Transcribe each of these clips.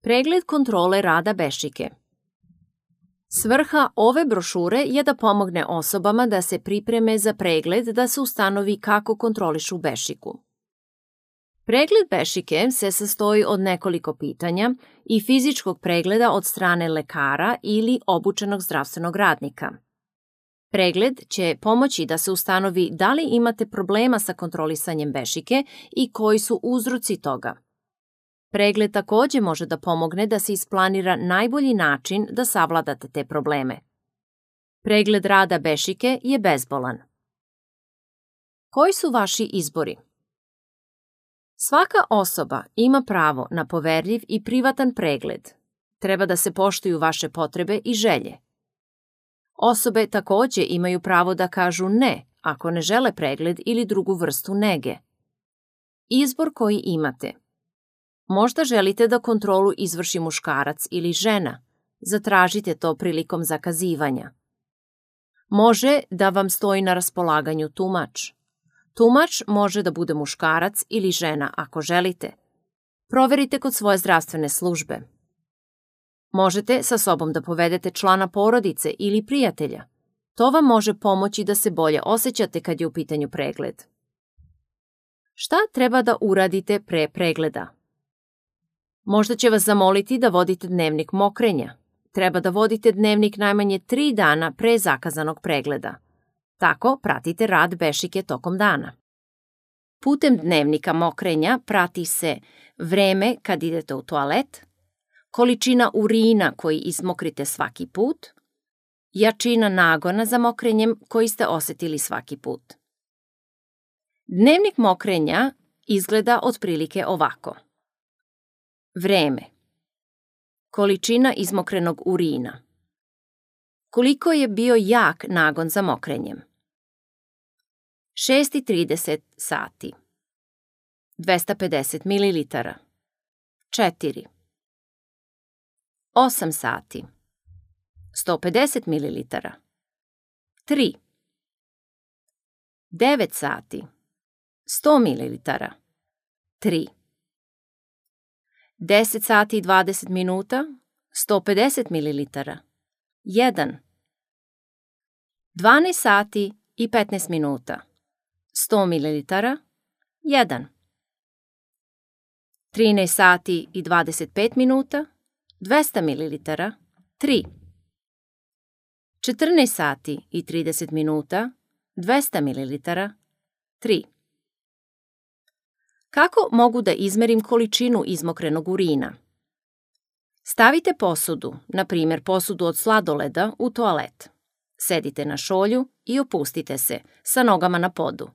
Pregled kontrole rada bešike. Svrha ove brošure je da pomogne osobama da se pripreme za pregled da se ustanovi kako kontrolišu bešiku. Pregled bešike se sastoji od nekoliko pitanja i fizičkog pregleda od strane lekara ili obučenog zdravstvenog radnika. Pregled će pomoći da se ustanovi da li imate problema sa kontrolisanjem bešike i koji su uzroci toga. Pregled takođe može da pomogne da se isplanira najbolji način da savladate te probleme. Pregled rada bešike je bezbolan. Koji su vaši izbori? Svaka osoba ima pravo na poverljiv i privatan pregled. Treba da se poštuju vaše potrebe i želje. Osobe takođe imaju pravo da kažu ne ako ne žele pregled ili drugu vrstu nege. Izbor koji imate. Možda želite da kontrolu izvrši muškarac ili žena. Zatražite to prilikom zakazivanja. Može da vam stoji na raspolaganju tumač. Tumač može da bude muškarac ili žena ako želite. Proverite kod svoje zdravstvene službe. Možete sa sobom da povedete člana porodice ili prijatelja. To vam može pomoći da se bolje osjećate kad je u pitanju pregled. Šta treba da uradite pre pregleda? Možda će vas zamoliti da vodite dnevnik mokrenja. Treba da vodite dnevnik najmanje 3 dana pre zakazanog pregleda. Tako pratite rad bešike tokom dana. Putem dnevnika mokrenja prati se vreme kad idete u toalet, količina urina koji izmokrite svaki put, jačina nagona za mokrenjem koji ste osetili svaki put. Dnevnik mokrenja izgleda otprilike ovako. Vreme. Količina izmokrenog urina. Koliko je bio jak nagon za mokrenjem? 6:30 sati. 250 ml. 4. 8 sati. 150 ml. 3. 9 sati. 100 ml. 3. 10 sati i 20 minuta. 150 ml. 1. 12 sati i 15 minuta. 100 ml. 1. 13 sati i 25 minuta. 200 ml. 3. 14 sati i 30 minuta. 200 ml. 3. Kako mogu da izmerim količinu izmokrenog urina? Stavite posudu, na primjer posudu od sladoleda, u toalet. Sedite na šolju i opustite se, sa nogama na podu.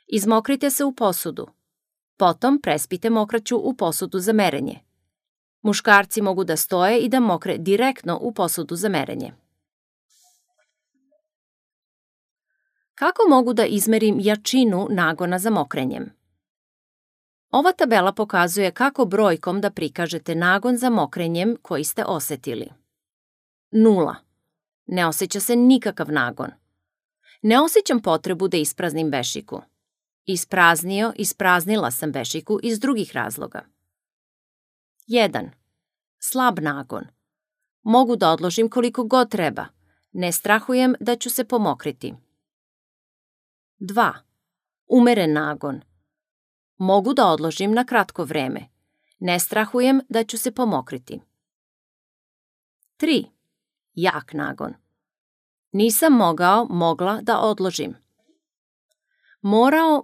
Izmokrite se u posudu. Potom prespite mokraću u posudu za merenje. Muškarci mogu da stoje i da mokre direktno u posudu za merenje. Kako mogu da izmerim jačinu nagona za mokrenjem? Ova tabela pokazuje kako brojkom da prikažete nagon za mokrenjem koji ste osetili. 0. Ne osjeća se nikakav nagon. Ne osjećam potrebu da ispraznim bešiku. Ispraznila sam bešiku iz drugih razloga. 1. Slab nagon. Mogu da odložim koliko god treba. Ne strahujem da ću se pomokriti. 2. Umeren nagon. Mogu da odložim na kratko vreme. Ne strahujem da ću se pomokriti. 3. Jak nagon. Nisam mogla da odložim.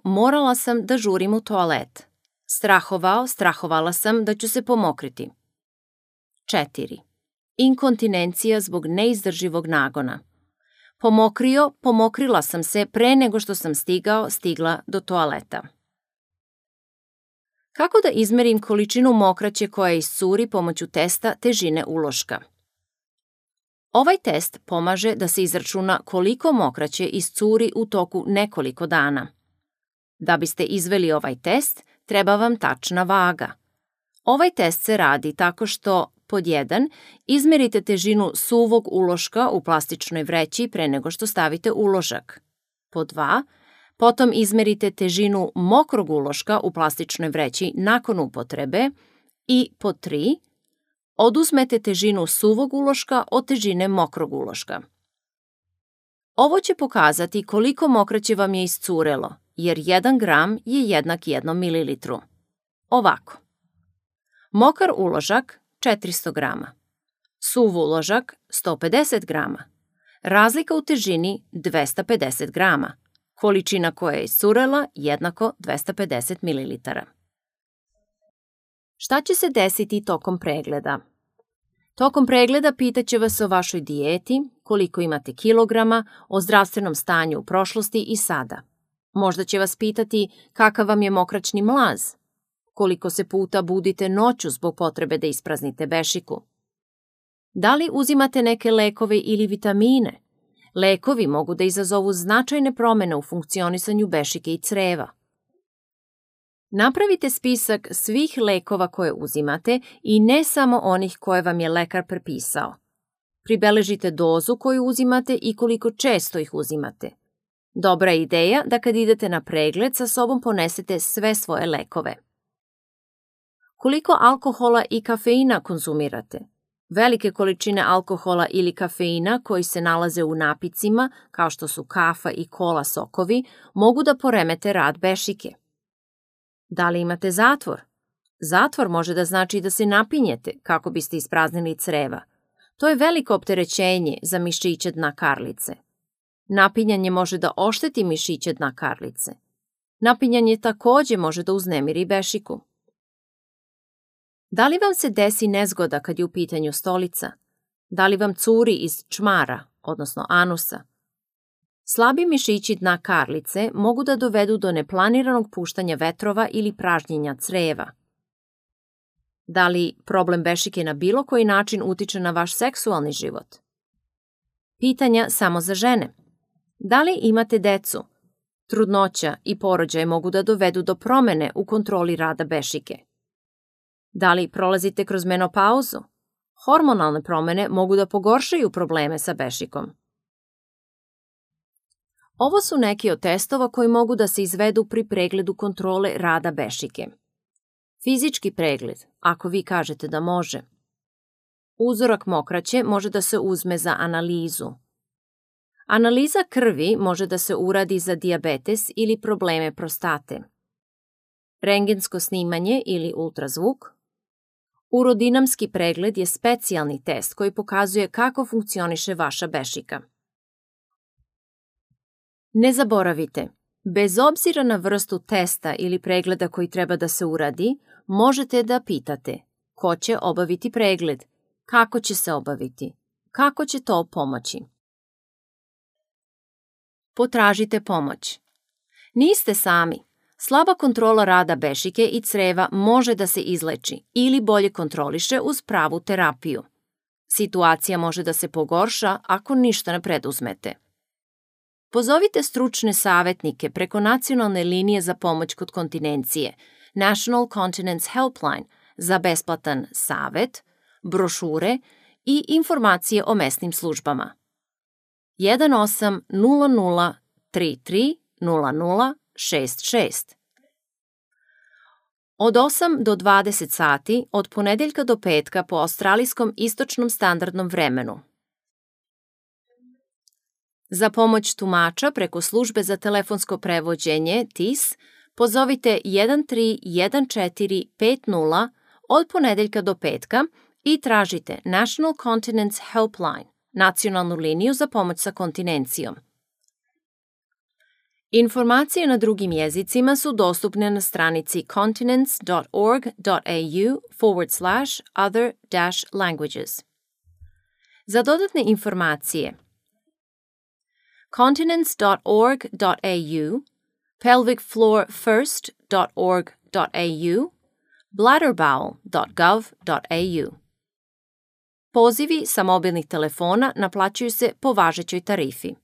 Morala sam da žurim u toalet. Strahovala sam da ću se pomokriti. 4. Inkontinencija zbog neizdrživog nagona. Pomokrila sam se pre nego što sam stigla do toaleta. Kako da izmerim količinu mokraće koja iscuri pomoću testa težine uloška? Ovaj test pomaže da se izračuna koliko mokraće iscuri u toku nekoliko dana. Da biste izveli ovaj test, treba vam tačna vaga. Ovaj test se radi tako što, pod 1, izmerite težinu suvog uloška u plastičnoj vreći pre nego što stavite uložak. Pod 2, potom izmerite težinu mokrog uloška u plastičnoj vreći nakon upotrebe i pod 3, Oduzmete težinu suvog uloška od težine mokrog uloška. Ovo će pokazati koliko mokraće vam je iscurelo, jer 1 gram je jednak 1 mililitru. Ovako. Mokar uložak 400 grama. Suv uložak 150 grama. Razlika u težini 250 grama. Količina koja je iscurela jednako 250 mililitara. Šta će se desiti tokom pregleda? Tokom pregleda pitaće vas o vašoj dijeti, koliko imate kilograma, o zdravstvenom stanju u prošlosti i sada. Možda će vas pitati kakav vam je mokraćni mlaz, koliko se puta budite noću zbog potrebe da ispraznite bešiku. Da li uzimate neke lekove ili vitamine? Lekovi mogu da izazovu značajne promene u funkcionisanju bešike i creva. Napravite spisak svih lekova koje uzimate i ne samo onih koje vam je lekar prepisao. Pribeležite dozu koju uzimate i koliko često ih uzimate. Dobra je ideja da kad idete na pregled sa sobom ponesete sve svoje lekove. Koliko alkohola i kafeina konzumirate? Velike količine alkohola ili kafeina koji se nalaze u napicima, kao što su kafa i kola sokovi, mogu da poremete rad bešike. Da li imate zatvor? Zatvor može da znači da se napinjete kako biste ispraznili creva. To je veliko opterećenje za mišiće dna karlice. Napinjanje može da ošteti mišiće dna karlice. Napinjanje takođe može da uznemiri bešiku. Da li vam se desi nezgoda kad je u pitanju stolica? Da li vam curi iz čmara, odnosno anusa? Slabi mišići dna karlice mogu da dovedu do neplaniranog puštanja vetrova ili pražnjenja creva. Da li problem bešike na bilo koji način utiče na vaš seksualni život? Pitanja samo za žene. Da li imate decu? Trudnoća i porođaj mogu da dovedu do promene u kontroli rada bešike. Da li prolazite kroz menopauzu? Hormonalne promene mogu da pogoršaju probleme sa bešikom. Ovo su neki od testova koji mogu da se izvedu pri pregledu kontrole rada bešike. Fizički pregled, ako vi kažete da može. Uzorak mokraće može da se uzme za analizu. Analiza krvi može da se uradi za dijabetes ili probleme prostate. Rentgensko snimanje ili ultrazvuk. Urodinamski pregled je specijalni test koji pokazuje kako funkcioniše vaša bešika. Ne zaboravite, bez obzira na vrstu testa ili pregleda koji treba da se uradi, možete da pitate ko će obaviti pregled, kako će se obaviti, kako će to pomoći. Potražite pomoć. Niste sami. Slaba kontrola rada bešike i creva može da se izleči ili bolje kontroliše uz pravu terapiju. Situacija može da se pogorša ako ništa ne preduzmete. Pozovite stručne savetnike preko nacionalne linije za pomoć kod kontinencije, National Continence Helpline, za besplatan savet, brošure i informacije o mesnim službama. 1800330066. Od 8 do 20 sati od ponedeljka do petka po australijskom istočnom standardnom vremenu. Za pomoć tumača preko službe za telefonsko prevođenje TIS pozovite 131450 od ponedeljka do petka i tražite National Continence Helpline, nacionalnu liniju za pomoć sa kontinencijom. Informacije na drugim jezicima su dostupne na stranici continence.org.au/other-languages. Za dodatne informacije continence.org.au, pelvicfloorfirst.org.au, bladderbowel.gov.au. Pozivi sa mobilnih telefona naplaćuju se po važećoj tarifi.